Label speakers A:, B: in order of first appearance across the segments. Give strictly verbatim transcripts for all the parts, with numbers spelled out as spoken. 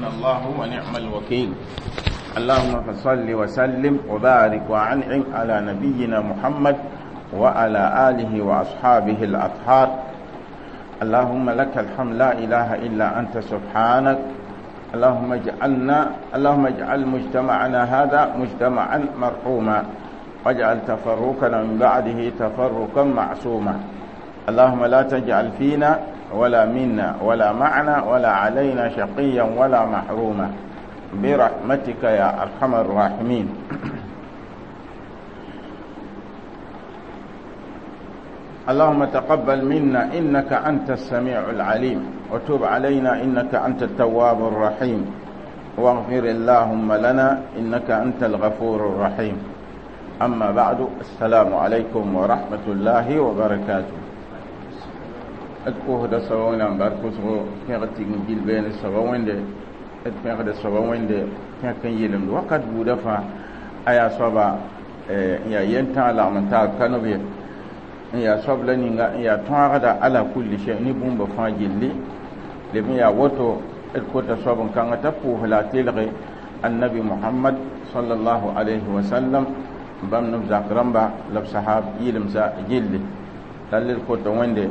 A: حسبنا الله ونعم الوكيل. اللهم فصل وسلم وبارك وأنعم على نبينا محمد وعلى آله وأصحابه الأطهار. اللهم لك الحمد، لا إله إلا أنت سبحانك. اللهم اجعلنا اللهم اجعل مجتمعنا هذا مجتمعا مرحوما، واجعل تفرقنا من بعده تفرقا معصوما. اللهم لا تجعل فينا ولا منا ولا معنا ولا علينا شقيا ولا محروما، برحمتك يا أرحم الراحمين. اللهم تقبل منا إنك أنت السميع العليم، وتب علينا إنك أنت التواب الرحيم، واغفر اللهم لنا إنك أنت الغفور الرحيم. أما بعد، السلام عليكم ورحمة الله وبركاته. أتكوه دا سواوين أم باركوسو كيغتي جيل بين السواوين دي أتكوه دا سواوين دي كيغتي يلم وقت بودفا أيا صبا يا ينتا لعمتا كانوا ya sobla ninga ya tõagda ala kulli shay ni bũmb fãa gilli leb n yaa woto d kota soab n kãngã t'a pʋʋs la a telge annabi Muhammad sallallahu alayhi wa sallam bãmb neb zak rãmba la b sahab yɩlemsa gilli. La d kota Wẽnde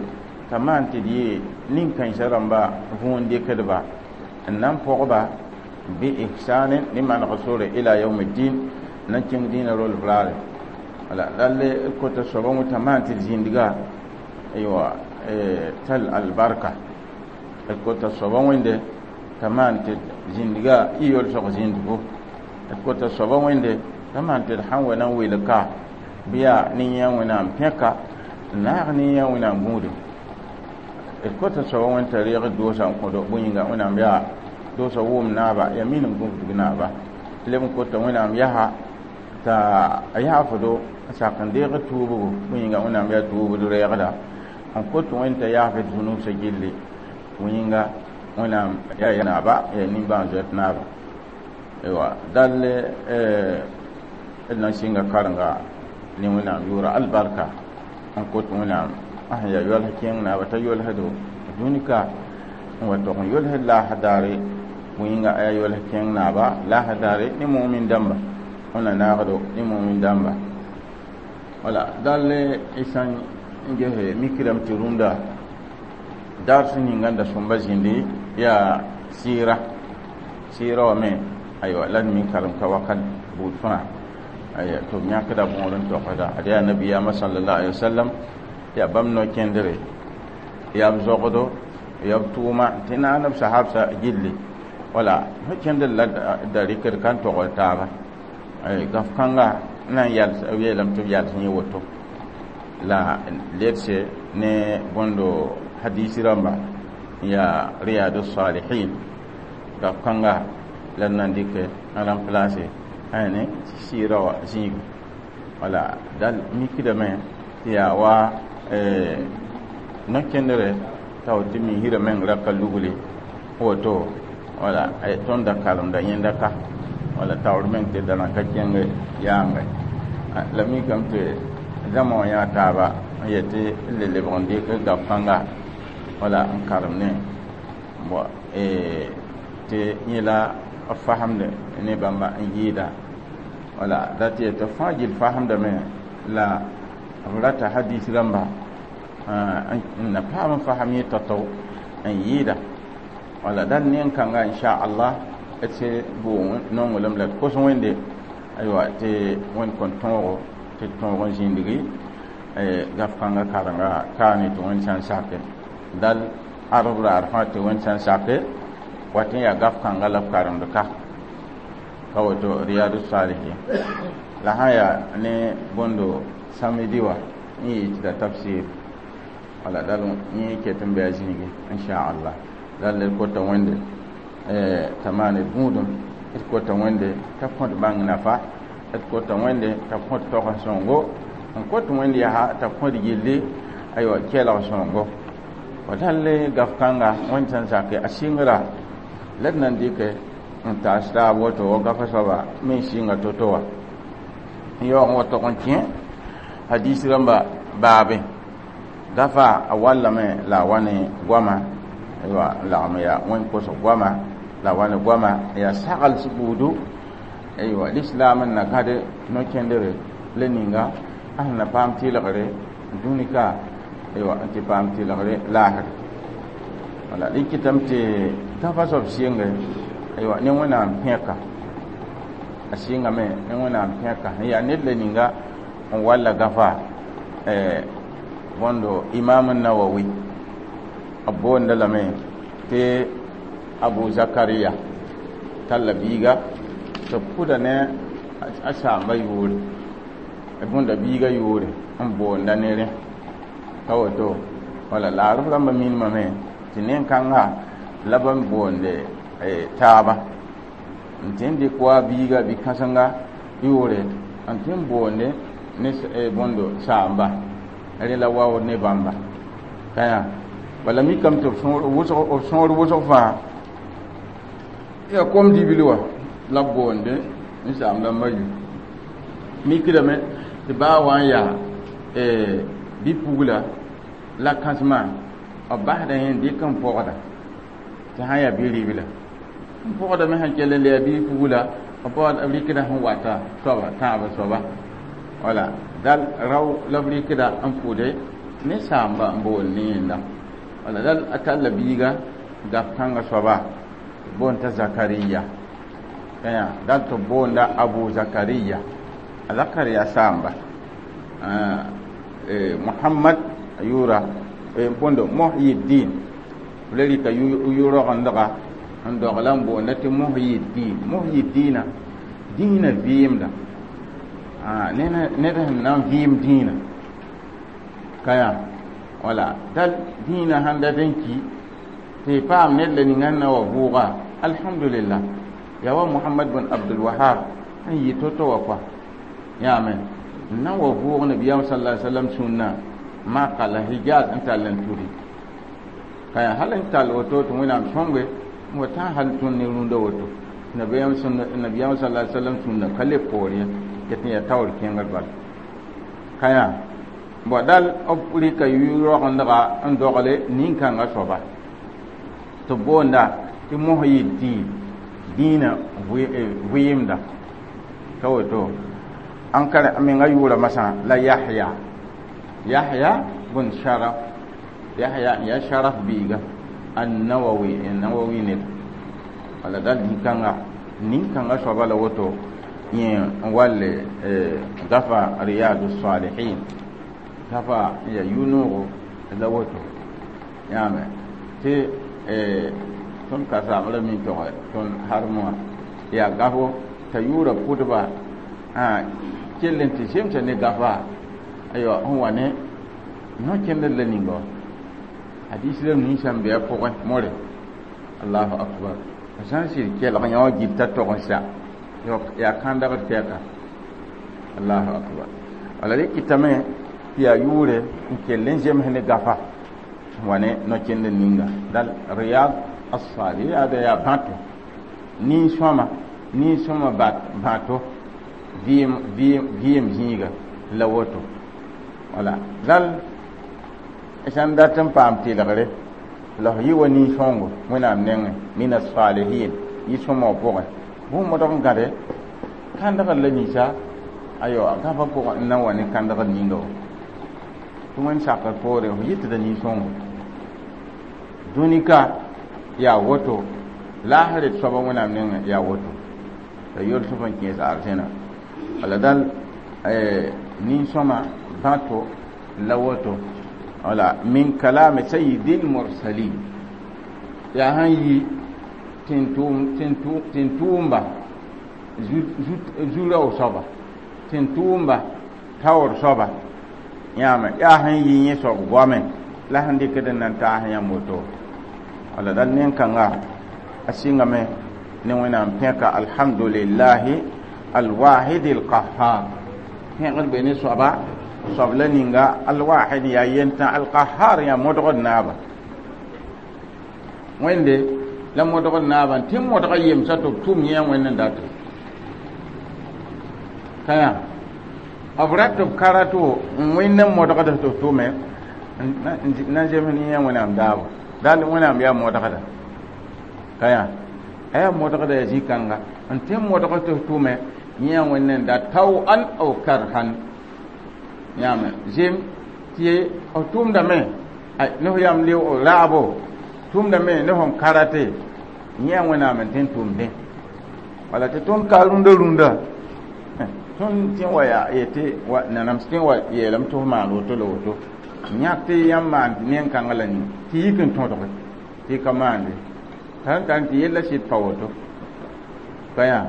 A: t'a maan tɩ d yee nin-kãensã rãmba võon dɩkdba n na n pʋgba bi ihsanin ne maneg sore ila yawmiddin n na n kẽng dĩinã rol raare. Wala lalle kota soaba wẽ t'a maan tɩ d zĩndga aywa tal albarka. D kota soaba wẽnde t'a maan tɩ d zĩndga y yolsg zĩndgo. D kota soaba wẽnde t'a maan tɩ d sãn wa na n welg ka bɩ yaa ne yã Wẽnnaam pẽka n naag ne yã Wẽnnaam gũudum. D kota soaba wẽnd t'a reeg doosa n kõdo bõe yĩnga Wẽnnaam yaa doosa wʋʋm naaba yaa minim gũusdg naaba. Leb n kota Wẽnnaam yaa t'a yaafdo sak n deeg tuubgo bõe yĩnga Wẽnnaam yaa tuubd reegda n kot Wẽnd t'a yaaf d zũnubsã gilli bõe yĩnga Wẽnnaam yaa naaba yaa nimbãan-zoet naaba. Aywa dall d na n sɩnga karenga ne Wẽnnaam yʋʋra albarka n kot Wẽnnaam a sẽn yaa yols kẽeng naaba t'a yolsdo dũni ka n wa tog n yolsd laasã daare bõe yĩnga a yaa yols kẽeng naaba laasã daare ne mumin dãmba wẽnna naagdo ne mumin dãmba. Wala dall y sã n gese mikdame tɩ rũndã dars ninga n da sõmba zĩndi yaa sɩɩra sɩɩra wã me aywa la d mi karem ka wakat buud fãa aya tɩ b yãkda bõor n togsda ad yaa nabiyaamã sallallahu alaihi wasallam yaa bãmb no-kẽndre yaa b zogdo yaa b tʋʋma tɩ naan b sahabsã gilli. Wala fo kẽndr la da rɩkd ka n togd taaba gaf kãnga n na n yals yeelame tɩ b yals yẽ woto la ledse ne bõndo hadisi rãmba yaa riyadu salihin gaf kãnga la d na n dɩkɛ n remplace ne sɩɩra wã zĩiga. Wala dal mikdame tɩ yaa wa no-kẽndre t'a woto tɩ misrã meng ra ka lugli woto wala tõnd da karemda yẽnda ka wala taoor meng tɩ da na ka kẽng yaange la mikame tɩ zãma wã yã taaba n yetɩ n le lebg n dɩk gaf kãnga wala n karem ne bon tɩ yẽ la b fasemde ne bãmba n yɩɩda. Wala dat yetɩ fãa gill fasemdame la b rata hadis rãmba n na paam n fasem yẽ tao-tao n yɩɩda. Wala dal nen-kãnga inchallah d se bʋʋg nonglem la d kos Wẽnde aywa tɩ Wẽnd kõn tõogo tɩ d tõog n zĩndgi gaf kãngã karenga kaane tɩ Wẽnd sã n sake dal arb raar fãa tɩ Wẽnd sã n sake wat n yaa gaf kãnga la b karemd ka ka woto riyadu salihin la sã yaa ne bõndo samedi wã n yɩ tɩ da tafsir. Wala dal yẽ ket n bɩ a zĩigi inchallah. Dal d kota Wẽnde t'a maan d gũudum, d kota Wẽnde t'a kõt bãng nafa, d kota Wẽnde t'a kõt togs sõngo, n kot Wẽnd yaa t'a kõt gilli aywa kelg sõngo. Wa dal gaf kãnga Wẽnd sẽn sake a sɩngra la d na n dɩkɛ n taas taab woto wa gafa soaba me n sɩnga to-to wã n yaoog n wa tog n kẽ hadis rãmba baabe gafa a wallame la a wa ne goama aywa n lagm yaa wẽn kosg goama La wa ne goama yaa sagls buudu, aywa, lislaam n na gãd no-kẽndre la ninga a sẽn na paam tɩlgre dũni ka, aywa, n tɩ paam tɩlgre laasre. Wala rɩ kɩtame tɩ gafa soab sɩnge, aywa, ne Wẽnnaam pẽka a sɩngame ne Wẽnnaam pẽka n yaa ned la ninga n walla gafa bõndo Imam Nawawi b boonda lame tɩ Abu Zakariya talla biiga tɩ b pʋda ne a saamba yʋʋre, bõnda biiga yʋʋre n boonda ne rẽ ka woto. Wala laarf rãmbã minimame tɩ nen-kãnga la b n boonde taaba n tɩ n dɩk wa biiga bi-kãsenga yʋʋre n tɩ n boonde ne bõndo saamba rẽ la waood ne bãmba ka yã. Bala mikame tɩ b sõor wʋsg fãa yaa kom dibil wã la b boonde n saamda n ma yu mikdame tɩ baa wa n yaa bi-pugla la kãsema b basda yẽ n dɩk n pɔgda tɩ sã n yaa bi-ribla n pɔgdame sẽn kell n le yaa bi-pugla b rɩkda sẽn wata soaba tãabã soaba. Wala dal rao la b rɩkda n pʋde ne saamba n boond ne yẽnda. Wala dal a talla biiga gaf kãngã soaba boond t'a Zakariya kaya dal tɩ b boonda Abu Zakariya a Zakariya saamba Muhammad a yʋʋra bõndo Muhyiddin b la rɩka yʋ-rogendga n dogla n boonda tɩ Muhyiddin. Muhyiddina dĩinã vɩɩmda ned sẽn na n vɩɩm dĩinã ka yã. Wala dal dĩinã sãn dat n ki tɩ y paam ned la ninga n na wa vʋʋga, alhamdulillah. Yaa wa Mohamad bn Abdul Wahab n yɩ to-to wa kɔa yãame n na n wa vʋʋg nabiyaam sala sallam sũnna Maka la Hijaz n tall n tudi ka yaa hal n tall woto tɩ Wẽnnaam sõnge n wa tã hal tõnd ne rũndã woto nabiyaam sala sallam sũnna ka le poor ye ket n yaa taoor kẽngr bal ka yaa bõ dal b rɩka yʋ-rogendga n dogle nin-kãngã soaba tɩ b boonda tɩ Muhyiddin dĩinã vɩɩmda ka woto. An ka menga yʋʋra masã la Yahya, Yahya bn Sharaf, Yahya n yaa Sharaf biiga Annawawi, Nawawi ned. Wala dal nin-kãnga nin-kãngã soaba la woto yẽ n walle gafa Riyadu Salihin gafa n yaa yʋ-noogo la woto yãame tɩ tõnd ka saamrã min tɔgɛ tõnd harem wã yaa gafo t'a yʋʋra pʋdba kell n tɩ zemsa ne gafa aywa sẽn wa ne no-kẽndr la ninga wã hadis rem ninsã n be a pʋgẽ more. Allahu akbar, sã n sɩd kelg yã wã gilta tog n sa yaa kãndgd tɛka. Allahu akbar. Wala rɩ kɩtame tɩ yaa yʋʋre n kell n zems ne gafa wa ne no-kẽndr ninga dal Riyad as-Salih yaada yaa bãto nin-sõma nin-sõma bãto vɩɩm vɩɩm zĩiga la woto. Wala dal sãn dat n paam tɩlgre la f yɩ wa nin-sõngo Wẽnnaam nengẽ min as-salihin yɩ-sõma wã pʋgẽ bũmb modg n gãde kãndgr la ninsa aywa gãfã pʋgẽ n na wa ne kãndgr ninga wã tɩ Wẽnd sakr poore f yɩtda nin-sõngo dũni ka yaa woto laasr d soaba Wẽnnaam nengẽ yaa woto la yols f n kẽes arzẽna. Wala dal nin-sõma bãto la woto. Wala min kalami sayyidil mursalin yaa sãn yi tẽn-tʋʋmba zu-rao soaba tẽn-tʋʋmba taoor soaba yãame yaa sẽn yi yẽ soab goame la sẽn dɩkd n na n taas yãmb woto. Wala dal nen-kãnga a sɩngame ne Wẽnnaam pẽka alhamdulillahi alwahid alqahar pẽgd be ne soaba soab la ninga alwahid yaa yentã alqahar yaa modgd naaba Wẽnde la modgd naaba n tɩ modga yemsa tɩ b tʋm yẽ Wẽnd n data ka yã b rat b karato n wẽnd n modgd tɩ b tʋme na n zems ne yẽ Wẽnnaam daabo dal Wẽnnaam yaa modgda ka yã. Aya modgda ya zĩ-kãnga n tẽ modg tɩ f tʋme yẽ wẽnd da taw'an aw karhan yãame zem tɩ f tʋʋmdame ne f yam raabo tʋʋmdame ne fõn karate yẽ wẽnnaam n tẽ n tʋʋmdẽ wala tɩ tõnd ka rũndã rũndã tõnd tẽ wa yaa yetɩ wa nanams tẽ wa yeelame tɩ f maan woto la woto yãk tɩ yãmb maan nen-kãngã la ning tɩ yik n tõdge tɩ y ka maande t'a tar tɩ yella sɩd pa woto ka yaa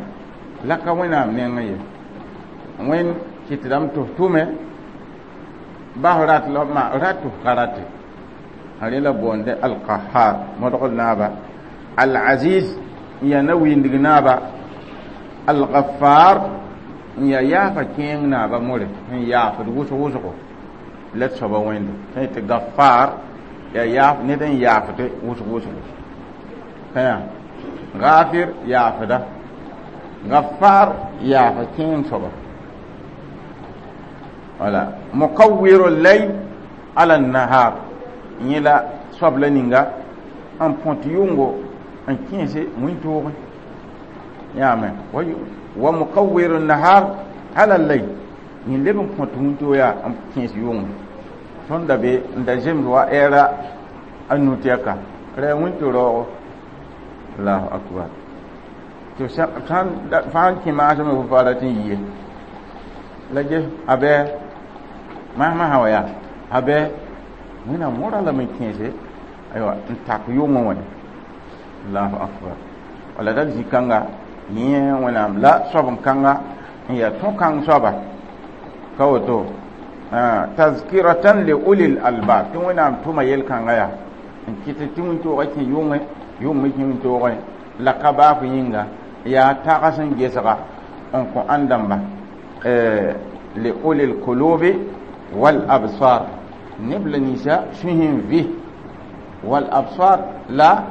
A: la ka wẽnnaam nengẽ ye wẽnd kɩtdame tɩ f tʋme bas rat la ma rat tɩ f ka rate rẽ la boonde alqahar modgd naaba al-aziz n yaa na-wɩɩndg naaba al-ghaffar n yaa yaafa kẽeng naaba more sẽn yaafd wʋsg wʋsgo la d soaba wẽnde sẽn tɩ gaffar yaa yaaf ned n yaafde wʋsg wʋsgo kã gafir yaafda gaffar yaafa kẽeng soaba wala muqawwiru layl ala nahar yẽ la soab la ninga n põt yʋngo n kẽese wĩntoogẽ yãame wa muqawwiru nahar ala layl yẽ leb n põt wĩntoog yaa n kẽes yʋngẽ tõnd da be n da zemd wa ɛɛra a nu-tɛka ra yaa wĩnto-raoogo allahu akbar tɩ fãa n kẽ maasem f fa rat n yie la ges a bɛ maasmã sã wa yaa a bɛ wẽnnaam mõra lame n kẽese aywa n tak yʋngẽ wã allahu akbar wala dal zĩ-kãnga yẽ wẽnnaam la soab n kãnga n yaa tõ-kãng soaba ka woto tazkiratan li ulil albab tɩ wẽnnaam tʋma yel-kãnga yaa n kɩt tɩ wĩntoogã kẽ yʋngẽ yʋng me kẽ wĩntoogẽ la ka baaf yĩnga yaa tags n gesga n kõ ãn-dãmba li ulil kulubi wal absar neb la ninsã sũs n vɩ wal absar la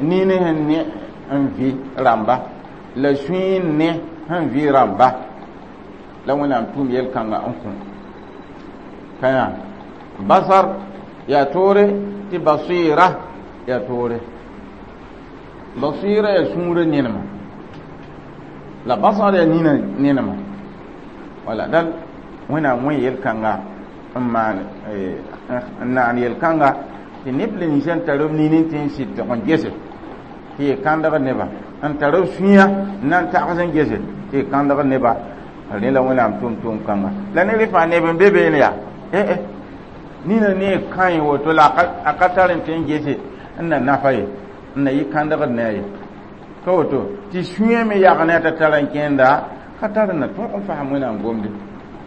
A: nin sẽn ne n vɩ rãmba la sũy n ne sẽn vɩ rãmba la wẽnnaam tʋʋm yel-kãnga n kõ ka yaa basar yaa toore tɩ basira yaa toore basira yaa sũurã nenema la basar yaa nina nenema wala dal wẽnnaam wẽ yel-kãnga n maan n naan yel-kãnga tɩ neb la ninsã n tar b nini tɩ n sɩd tɩg n gese tɩ y kãndg neba n tar b sũyã n na n tags n gese tɩ y kãndg neba rẽ la wẽnnaam tʋm tʋʋm kãnga la ne rẽ fãa neb n be beene yaa eh nina ne kãe woto la a ka tar n tɩ n gese n na nafa ye n na yɩ kãndgd ne a ye ka woto tɩ sũyã me yag ne a t'a tar n kẽenda ka tar n na tõog n fasem wẽnnaam gomde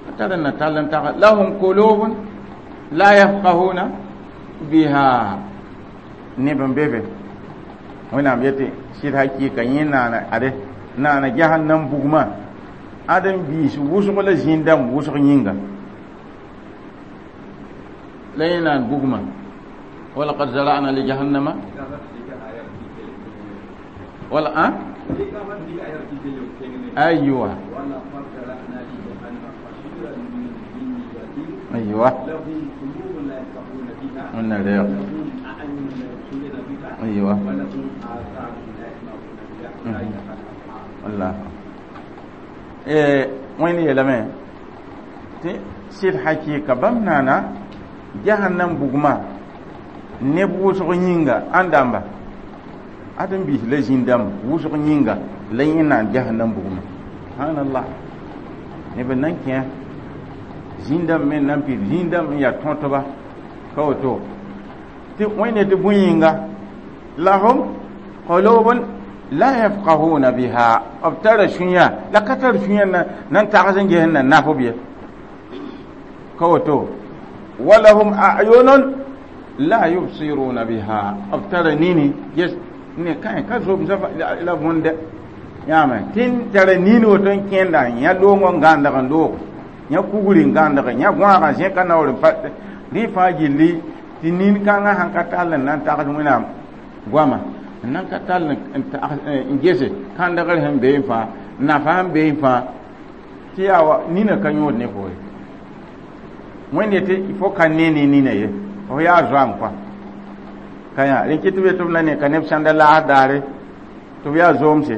A: ka tar n na tall n tag lahum kulubun la yafqahuna biha neb n be be wẽnnaam yetɩ sɩd hakɩɩka yẽ naana ade naana jahannam bugmã ãdem biis wʋsg la zĩig dãmb wʋsg yĩnga la yẽ naan bugmã walaqad zara'na li jahannama wala a aywa aywa
B: لهم قلوب لا يفقهون بها
A: wannan reyo
B: ولهم أعين لا يبصرون بها
A: aywa
B: ولهم آذان لا يسمعون بها أولئك كالأنعام
A: Allah eh wẽnd yeelame tɩ sɩd hakɩɩka bãmb naana jahannam bugmã neb wʋsg yĩnga ãn dãmba ãdem biis la zĩn-dãmb wʋsg yĩnga la yẽ naan jahannam bugmã subhanallah neb n nan kẽ zĩn-dãmb me n nan pid zĩn-dãmb n yaa tõtba ka woto tɩ wẽnd tɩ bõe yĩnga lahum qulubun la yafqahuna biha b tara sũyã la ka tar sũyã na nan tags n ges n na naf b ye ka woto walahum a'yunun la yubsiruna biha b tara nini ges ne kãe ka zob la võnde yãame tɩ n tara nini woto n kẽenda yã loongõ n gãndg n loog yã kugri n gãndg yã gõagã zẽka naoor n pa rẽ fãa gilli tɩ nin-kãngã sãn ka tall n na n tags wẽnnaam goama n nan ka tall n gese kãndgr sẽn bee fãa nafa sẽn bee fãa tɩ yaa wa nina ka yõod ne fo ye wẽnd yetɩ fo ka ne ne nina ye f yaa zoam kɔa ka yã rẽ kɩ tɩ be tɩ b na ne ka neb sãnda laas daare Tɩ b yaa zoomse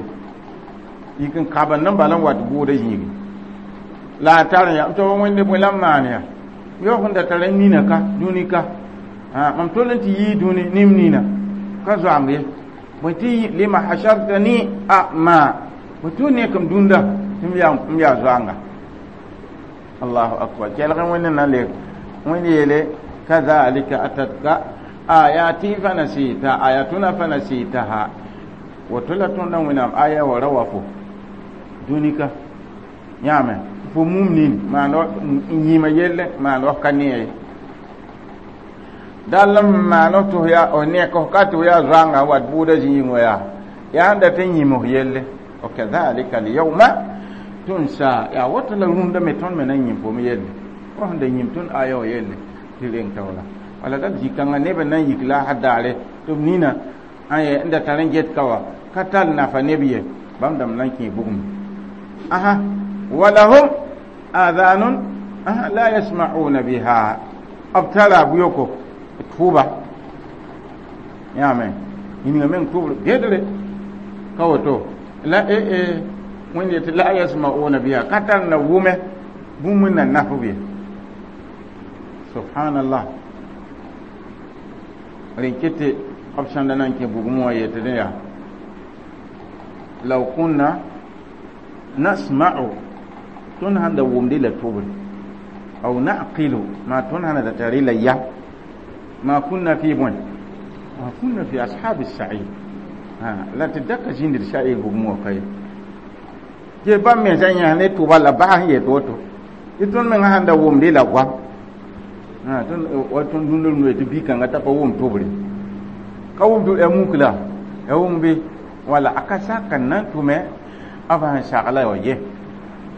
A: yik n kabend n bala n wat bʋʋda yĩigi la a tar n tɩ wẽnde bõe la n maan yaa yaoog n da tara nina ka dũni ka mam tol n tɩ yii dũni nim nina ka zoamb ye bõe tɩ lima hashartani ama bõe tɩ nekem dũnda tɩ m yaa zoanga. Allahu akbar. Kelg wẽnd na le wẽnd yeele kadhalika atatka ayati fanasita ayatuna fanasitaha woto la tõndã wẽnnaam aya wa ra wa fo dũni ka yãame fo mum nin maan n yĩma yelle maan f ka ne ye dall n maan f tɩ f nek f ka tɩ f yaa zoanga wat bʋʋda zĩig wã yaa yaa n dat n yĩm f yelle. Wa kadhalika alyawma tunsa yaa woto la rũndã me tõnd me na n yĩm fo me yelle fo sẽn da yĩm tõnd aya wã yelle tɩ reng taoola wala dal zĩ-kãngã neb n na n yik la a daare tɩ b nina n da tar n get ka wa ka tall nafa neb ye bãmb dãmb na n kẽ bugum. Aha walahum adhanun aha la yasma'una biha b tara bʋyoko tʋʋba yãame yĩnga meng tʋʋbr gedre ka woto la e e wẽnd yetɩ la yasma'una biha ka tar na wʋme bũmb n na naf b ye. Subhanallah. Rẽn ket b sãn da na n kẽ bugmẽ wã yetɩ dẽ yaa law kunna nasma'u tõnd sãn da wʋmdɩ la tʋbre aw naqilu maa tõnd sãn da tari la ya ma kunna fi bõe ma kunna fi ashabi sa'ir la tɩ daka zĩndr sa'ir bugmẽ wã ka ye tɩ bãmb mensã yãs ne tʋba la bas n yet woto tɩ tõnd mengã sãn da wʋmdɩ la goam wa tõnd dũndr noe tɩ bi-kãngã t'a pa wʋm tʋbre ka wʋm tʋb ya muk la ya wʋm be wala a ka sak n na n tʋme b sẽn sagla wa ye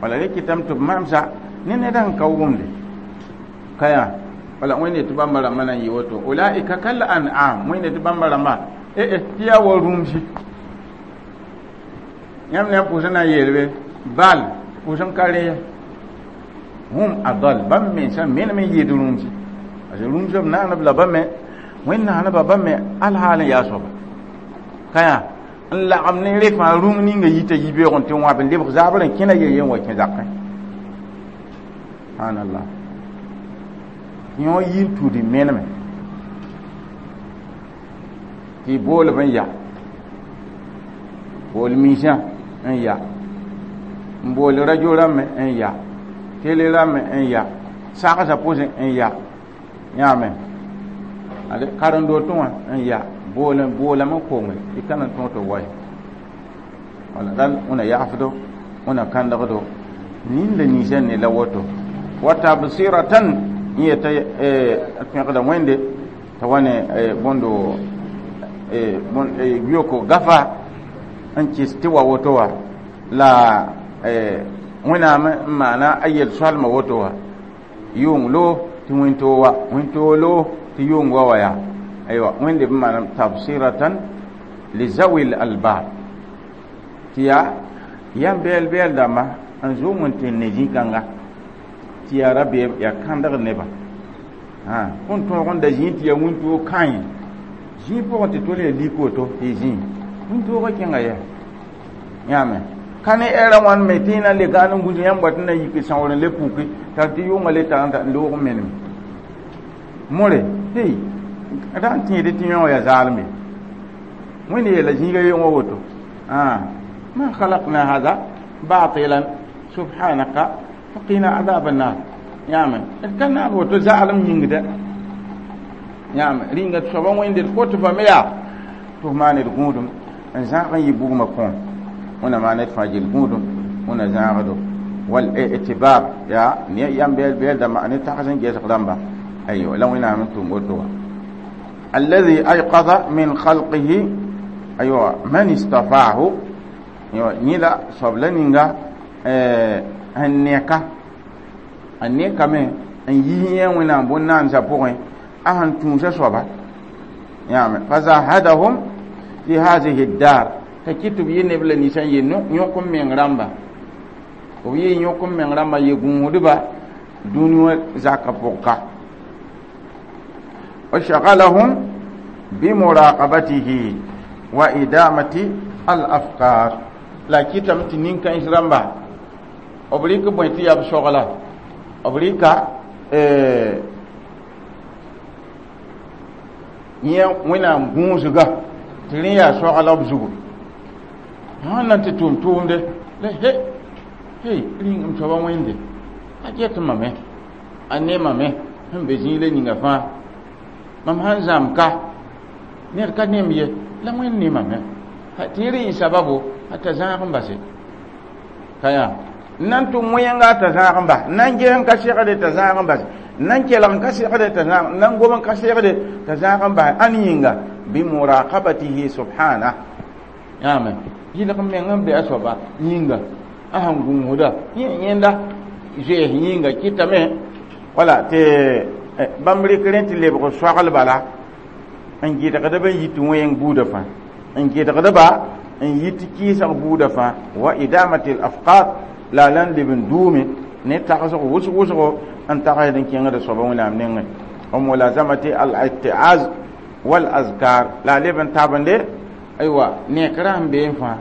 A: wala rẽ kɩtame tɩ b mamsa ne ned sẽn ka wʋmde ka yaa wala wẽnde tɩ bãmba rãmbã na n yɩ woto ulaika kal an'am wẽnde tɩ bãmba rãmbã eh tɩ yaa wa rũmsi yãmb ne pʋʋsẽ na n yeelbe bal pʋʋsẽ ka rẽ ye hum adal bãmb mensã menem n yɩɩd rũmsi parce que rũmsã b naanb la bãmb me wẽnd naanba bãmb me alhaal n yaa soaba ka yaa n lagem ne re fãa rũng ninga yita yibeoog n tɩ wãb n lebg zaabr n kẽna ye yen wa kẽ zakẽ. Subhanallah. Yõ yi n tuud n meneme tɩ boolb n ya bool miisã n ya n bool radio rãmbẽ n ya télé rãmbẽ n ya sagsã pʋsẽ n ya yãame ad karen-dootẽ wã n ya bool boolame n konge tɩ ka na n tõog tɩ wa ye wala dal wẽna yaafdo wẽna kãndgdo nin la ninsã ne la woto wa tabsiratan n yeta pẽgda wẽnde t'a wa ne bõndo yoko gafa n kɩs tɩ wa woto wa la wẽnnaam n maana a yel-soalmã woto wa yʋng lo tɩ wẽn-toog wa wẽn-toog lo tɩ yʋng wa wa yaa aywa wẽnde b maana tabsiratan lizawi albab tɩ yaa yãmb bɛɛl bɛɛl dãmba n zʋʋm n tɩ ne zĩ-kãnga tɩ yaa rabeem yaa kãndg nebã kõn tõog n da zĩig tɩ yaa wĩntoog kãe zĩig pʋgẽ tɩ tol yaa lik woto tɩ y zĩig wĩntoogã kẽnga yɛ yãame ka ne ɛɛrã wãn me tɩ y na n le gaan n gũs yãmb wat n na yik sãoor n le puki t'a tɩ yʋngã le tar n loog n menem more hey ra n tẽede tɩ yõ yaa zaalme wẽnd yeela zĩiga yeng woto ma khalaqna hada batilan subhanaka faqina adab annar yãame d ka naab woto zaalem yĩngda yãame rĩnga tɩ soaba wẽnde d kot fame yaa tɩ f maan d gũudum n zãag n yɩ bugmã kõom wẽna maan d fãa gil gũudum wẽna zãagdo wal i'tibar ya ne yãmb bɛɛl bɛɛl dãmba ne tags n gesg dãmba aywa la wẽnnaam n tʋm woto wa الذي أيقظ من خلقه أيوة من استطاعه أيوة نيلا صبلا نينغا n neka a nekame n yi yẽ wẽnnaam bõn-naandsã pʋgẽ a sẽn tũusa soaba yãame fazahadahum fi hadihi dar t'a kɩt tɩ b yɩ neb la ninsã n yɩ yõk n meng rãmba b yɩ yõk n meng rãmba yɩ gũudba dũni wã zakã pʋg ka wa shagalahum bimuraqabatihi wa idamati Al afkar la kɩtame tɩ nin-kãens rãmba b rɩk bõe tɩ yaa b sogla b rɩka yẽ wẽnnaam gũusga tɩ rẽ yaa sogla b zugu sãn na tɩ tʋm tʋʋmde la he hey rĩng m soaba wẽnde a get mame a ne mame sẽn be zĩig la ninga fãa mam sãn zãmb ka ned ka nem ye la wẽnd ne mame tɩ rẽ yẽ sababo a t'a zãag n base ka yaa n na n tʋm wẽnga t'a zãag n bas n na n ges n ka segde t'a zãag n bas n na n kelg n ka segde t'a zãag n na n gom n ka segde t'a zãag n bas ãn yĩnga bimuraqabatihi subhana yãame yɩlg meng n be a soaba yĩnga a sẽn gũusda yẽ yẽnda zoees yĩnga kɩtame wala tɩ bãmb rɩk rẽ tɩ lebg soagl bala n gɩdgdb n yit wẽng buudã fãa n gɩdgdba n yit kɩɩsg buudã fãa wa idamati l afqar la a la n leb n duume ne tagsg wʋsg wʋsgo n tagsd n kẽngda soaba wẽnnaam nengẽ wa mulazamati al ittiaz wal azkar la a leb n tabende aywa nekrã sẽn bee n fãa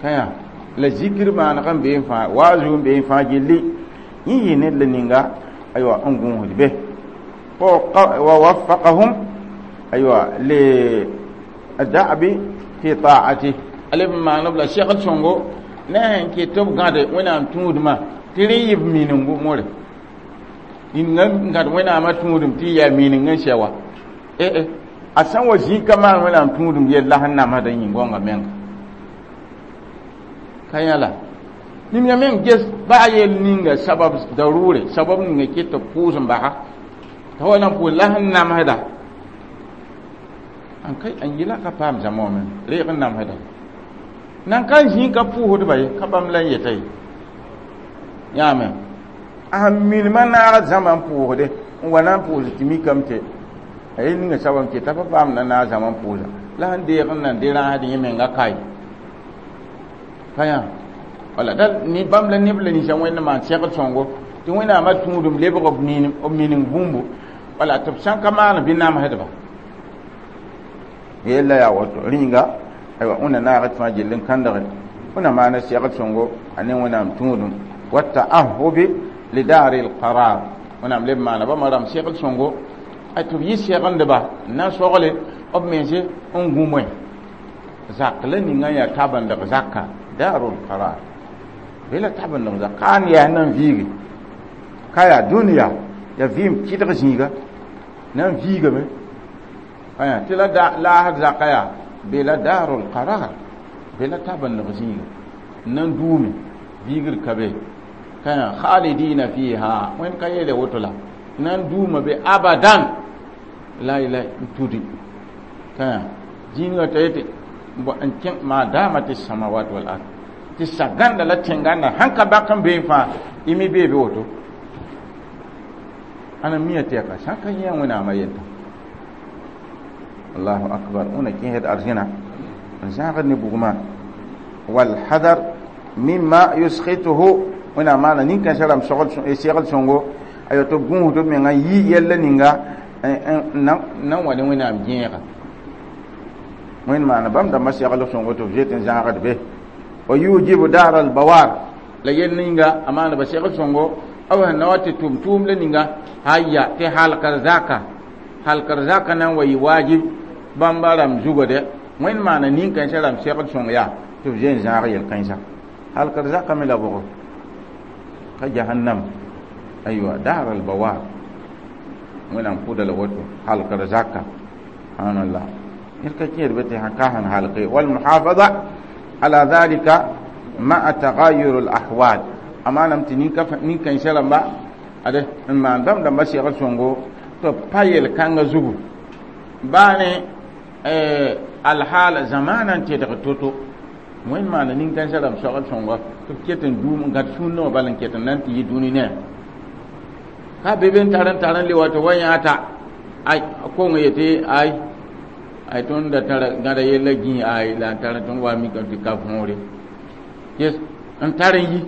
A: ka yaa la zikr maaneg n bee n fãa waazu n bee n fãa gilli yẽ yɩ ned la ninga aywa n gũusd be wa waffaqahum aywa li da'bi fi ta'ati a leb n maanb la segl sõngo ne sẽn ket tɩ b gãde wẽnnaam tũudmã tɩ rẽ yɩ b minengu more ninga n gãd wẽnnaamã tũudum tɩ yaa mineng n sɛ wa eh a sã n wa zĩig ka maan wẽnnaam tũudum yell la sẽn namsda yĩng goangã menga ka yãla ninga meng ges ba a yel ninga sabab darure sabab ninga ket tɩ pʋʋs n basa t'a wa na n pʋʋs la sẽn namsda an kai an yɩla ka paam zãma wã me reeg n namsda nan ka zĩig ka pʋʋsdba ye ka bãmb la n yeta ye yãame a sẽn milmã naag zãma n pʋʋsde n wa na n pʋʋs tɩ mikame tɩ a yel ninga sabab n keta pa paam na naag zãma n pʋʋsa la sẽn deeg n nan de rãasd yẽ menga kae ka yã wala da ni bãmb la neb la ninsã wẽnd maan segd sõngo tɩ wẽnnaamã tũudum lebg b mining bũmbu wala tɩ b sã n ka maan bɩ namsdba yella yaa woto rĩnga aywa wẽnna naag tɩ fãa gill n kãndge wẽnna maana segd sõngo a ne wẽnnaam tũudum wa taahubi lidari lqarar wẽnnaam leb maana bãmba rãmb segd sõngo a tɩ b yɩ segendba n na n sogle b mense n gũ zak la ninga yaa tabendg zaka darul qarar be la tabendg zak ka n yaa nan viige ka yaa dũniyã yaa vɩɩm kɩdg zĩiga na n viigame aya tɩ la laasd zaka yaa be la darul qarar be la tabendg zĩiga n na n duume viigr ka be ka yaa khalidina fiha wẽnd ka yeele woto la na n duuma be abadan la ila n tudi ka yaa zĩigã t'a yetɩ n kẽ ma damat samawat wal ard tɩ sagãnda la tẽngãnda sãn ka bak n bee fãa y me bee be woto ana miya tɩ yaka sã n ka yẽ wẽnnaamã yelta allahu akbar wẽna kẽsd arzẽna n zãagd ne bugmã walhadar mima yuskhituhu wẽnnaam maana nin-kãensã rãmb segl sõngo aywa tɩ b gũusd b menga yi yɛlla ninga n na n wa ne wẽnnaam gẽega wẽnd maana bãmb dãmbã segl sõngo tɩ b zoet n zãagd be wa yujibu dar al bawar la yel ninga a maana ba segl sõngo b sẽn na wa tɩ tʋm tʋʋm la ninga haya tɩ halkr zaka halkr zaka na n wa yɩ wajib bãmba rãmb zugã dɛ wẽnd maana nin-kãensã rãmb segl sõng yaa tɩ b zoe n zãag yel-kãensã halkr zaka me la bʋgo ka jahannam aywa dar al bawar wẽnnaam pʋda la woto halkr zaka subhanallah ned ka kẽed be tɩ sãn ka sẽn halke walmuhafaza ala dhalika ma'a tagayur al ahwal a maanam tɩ nin-kãensã rãmba ade n maan bãmb dãmbã segl sõngo tɩ b pa yel-kãngã zugu baa ne alhaal zamaana n tedg to-to wẽnd maana nin-kãensã rãmb soagl sõnga tɩ b ket n duum n gãd sũurnã wã bal n ket n na n tɩ yɩ dũni ne ka be be n tar n tar n le wa tɩ wa yãata ay kong yetɩ ay ay tõnd da tara gãda yella gĩ ay la n tar tõnd wa mikame tɩ ka võore yes n tar n yi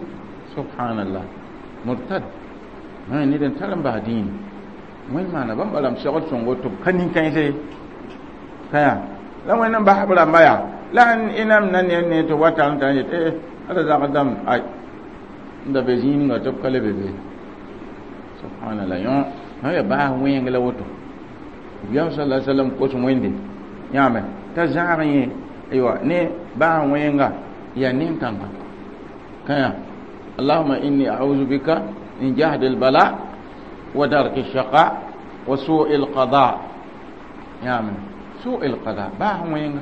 A: subhanallah murtad ned n tar n bas dĩini wẽnd maana bãmba rãmb segl sõngo tɩ b ka nin-kãense ye ka yaa la wẽnd n bas b rãmba yaa La n inam na ne ne to wata n ta yet eh ala zag dam ay nda be zĩig ninga tɩ b ka le be be. Subhanallah, yõ na ya baas wẽng la woto. Nabiyaam sallallahu alaihi wasallam kos wẽnde yãame t'a zãag yẽ aywa ne baas wẽnga ya nin-kãnga kãya. Allahuma inni a'udhu bika min jahdi al-bala wa darki ash-shaqa wa su'i al-qada. Yãame su'i al-qada baas wẽnga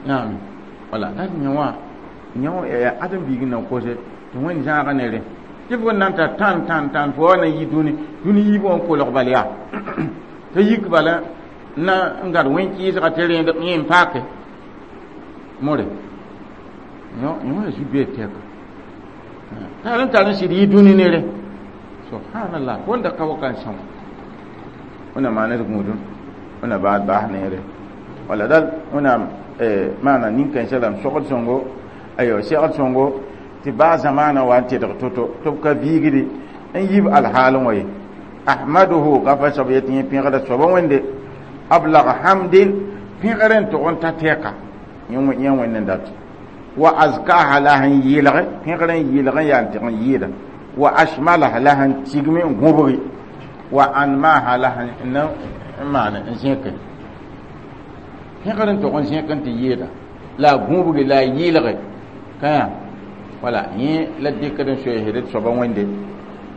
A: yãame wala la yã wã yã adem biig n na kose tɩ wẽnd zãaga ne rẽ tɩ f nan ta tãn tãn tãn fo wa na yi dũni dũni yiibã wã kolg bal yaa t'a yik bala na n gad wẽn-kɩɩsga tɩ rẽed yẽ n paake more yõ yõ zu-bee tɛka tar n tar n sɩd yi dũni nere. Subhanallah, wẽnda ka wa kan são wẽnna maan d gũudum wẽnna baad baas neere wala dal wẽnnaam maana nin-kãensã la m sogd sõngo ayo segd sõngo tɩ baa zamaana wa n tedg to-to tɩ b ka viigdi n yib alhaal wã ye. Ahmaduhu gafa soab yetɩ yẽ pẽgda soaba wẽnde ablag hamdin pẽgr n tʋg n ta tɛka yẽ wẽnd n dat wa azkaha la sẽn yɩlge pẽgr n yɩlg n yaa n tɩg n yɩɩda wa ashmalaha la sẽn tigme n gũbgi wa anmaha la sẽn n maan n zẽke pẽgr n tʋg n zẽk n tɩ yɩɩda la a gũbgi la a yɩlge kã wala yẽ la dɩkd n soeesd d soaba wẽnde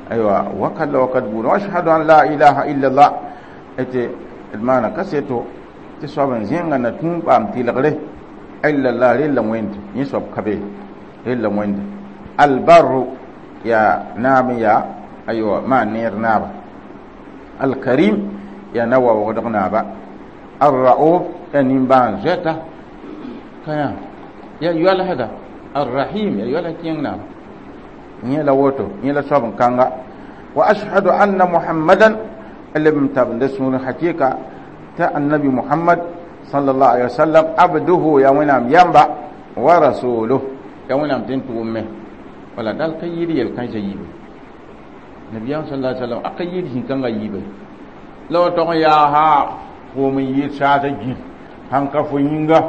A: aywa wakat la wakat buudã. Wa ashhadu an la ilaha illallah tɩ d maana kaseto tɩ soab n zẽnga na tũu paam tɩlgre illallah rella wẽnd yẽ soab ka be rella wẽnde albarru ya naab ya aywa maan neer naaba alkarim ya na waoogdg naaba arrauf ya nimbãan zoɛta kã ya yoalsda arrahim ya yoalsa kẽeng naaba yẽ la woto yẽ la soab n kãnga. Wa ashhadu anna muhammadan leb n tabenda sũur hakɩka t'a annabi Muhammad sallallahu alaihi wasallam abduhu ya wẽnnaam yamba wa rasuluh ya wẽnnaam tɩ n tʋʋm wala dal ka yɩɩd yel-kãensã yiibe nabiyaam sallallahu alaihi wasallam a ka yɩɩd zĩ-kãngã yiibe la wa tog n yaa ha foom n yɩɩd saasã gĩl sãn ka fo yĩnga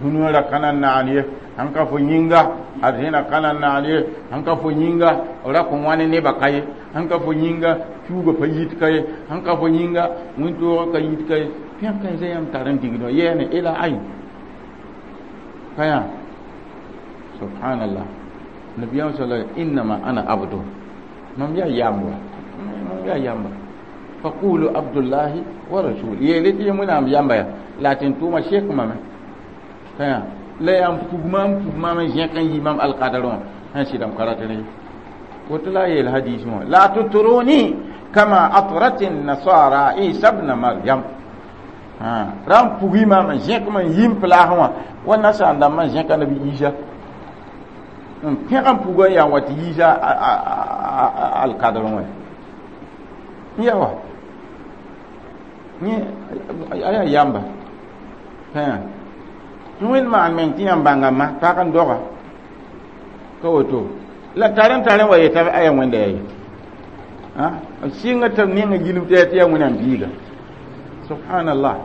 A: dũniyã ra ka na n naan ye sãn ka fo yĩnga arzẽna ka na n naan ye sãn ka fo yĩnga ra kõ wãne nebã ka ye sãn ka fo yĩnga tuuga pa yit ka ye sãn ka fo yĩnga wẽn-toogã ka yit ka ye pẽg kãensã yãmb tar n digd wã yɛɛne ila ayn ka yã. Subhanallah, nabiyaam sala innama ana abdu mam yaa yamba mam yaa yamba faqulu abdullahi wa rasul yeele tɩ wẽnnaam yamba ya la tɩ n tʋʋma sek mame ka yã la yaa n pug maam pug maam n zẽk n yi mam alkadr wã sẽn sɩdame ka rat rẽ woto la a yeel hadis wã la tutruni kama atrat nasara Isa bna Maryam ra n pugi maam n zẽk m n yim plaasẽ wã wa nasaar dãmbã n zẽka nabi Isa n pẽg n pugã n yaa n wa tɩ yiisa alkadr wã n yaa wa yẽ a yaa yamba tɩ wẽnd maan meng tɩ yãmb bãnga ma pag n doga ka woto la tar n tar n wa yeta a yaa wẽnda yaa ye sɩnga tɩ b ninga gilm tɩ tɩ yaa wẽnnaam biiga. Subhanallah,